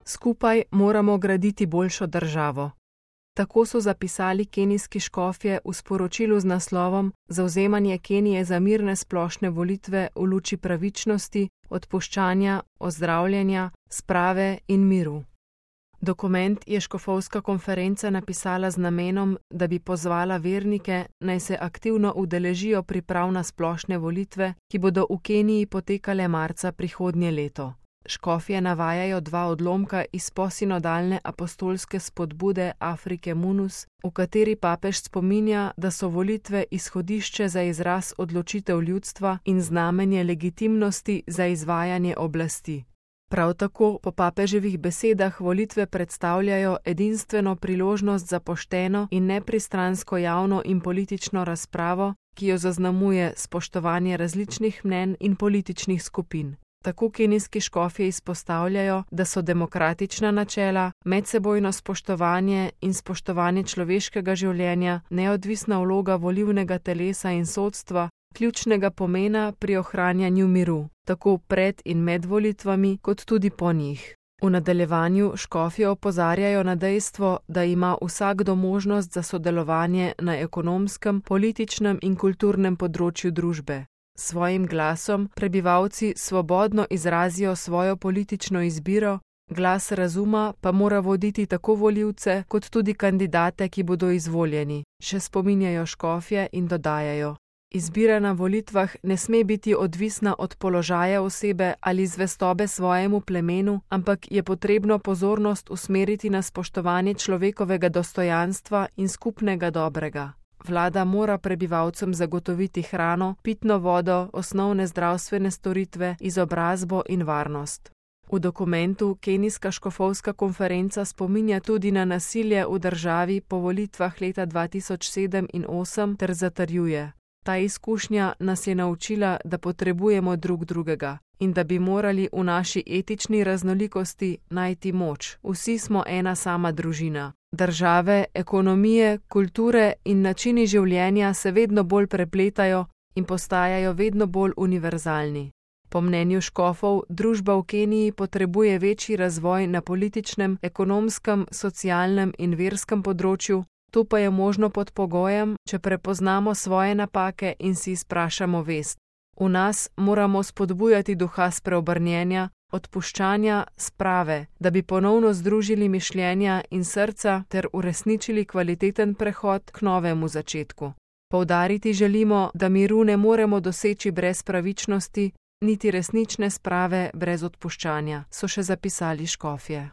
Skupaj moramo graditi boljšo državo. Tako so zapisali kenijski škofje v sporočilu z naslovom Zavzemanje Kenije za mirne splošne volitve v luči pravičnosti, odpuščanja, ozdravljenja, sprave in miru. Dokument je škofovska konferenca napisala z namenom, da bi pozvala vernike, naj se aktivno udeležijo priprav na splošne volitve, ki bodo v Keniji potekale marca prihodnje leto. Škofje navajajo 2 odlomka iz posinodalne apostolske spodbude Afrike Munus, v kateri papež spominja, da so volitve izhodišče za izraz odločitev ljudstva in znamenje legitimnosti za izvajanje oblasti. Prav tako po papeževih besedah volitve predstavljajo edinstveno priložnost za pošteno in nepristransko javno in politično razpravo, ki jo zaznamuje spoštovanje različnih mnenj in političnih skupin. Tako kenijski škofje izpostavljajo, da so demokratična načela, medsebojno spoštovanje in spoštovanje človeškega življenja, neodvisna vloga volilnega telesa in sodstva ključnega pomena pri ohranjanju miru, tako pred in med volitvami, kot tudi po njih. V nadaljevanju škofje opozarjajo na dejstvo, da ima vsakdo možnost za sodelovanje na ekonomskem, političnem in kulturnem področju družbe. S svojim glasom prebivalci svobodno izrazijo svojo politično izbiro, glas razuma pa mora voditi tako volivce kot tudi kandidate, ki bodo izvoljeni, še spominjajo škofje in dodajajo: Izbira na volitvah ne sme biti odvisna od položaja osebe ali zvestobe svojemu plemenu, ampak je potrebno pozornost usmeriti na spoštovanje človekovega dostojanstva in skupnega dobrega. Vlada mora prebivalcem zagotoviti hrano, pitno vodo, osnovne zdravstvene storitve, izobrazbo in varnost. V dokumentu kenijska škofovska konferenca spominja tudi na nasilje v državi po volitvah leta 2007 in 2008 ter zatrjuje: Ta izkušnja nas je naučila, da potrebujemo drug drugega in da bi morali v naši etični raznolikosti najti moč. Vsi smo ena sama družina. Države, ekonomije, kulture in načini življenja se vedno bolj prepletajo in postajajo vedno bolj univerzalni. Po mnenju škofov, družba v Keniji potrebuje večji razvoj na političnem, ekonomskem, socialnem in verskem področju, to pa je možno pod pogojem, če prepoznamo svoje napake in si izprašamo vest. V nas moramo spodbujati duha spreobrnjenja, odpuščanja, sprave, da bi ponovno združili mišljenja in srca ter uresničili kvaliteten prehod k novemu začetku. Poudariti želimo, da miru ne moremo doseči brez pravičnosti, niti resnične sprave brez odpuščanja, so še zapisali škofje.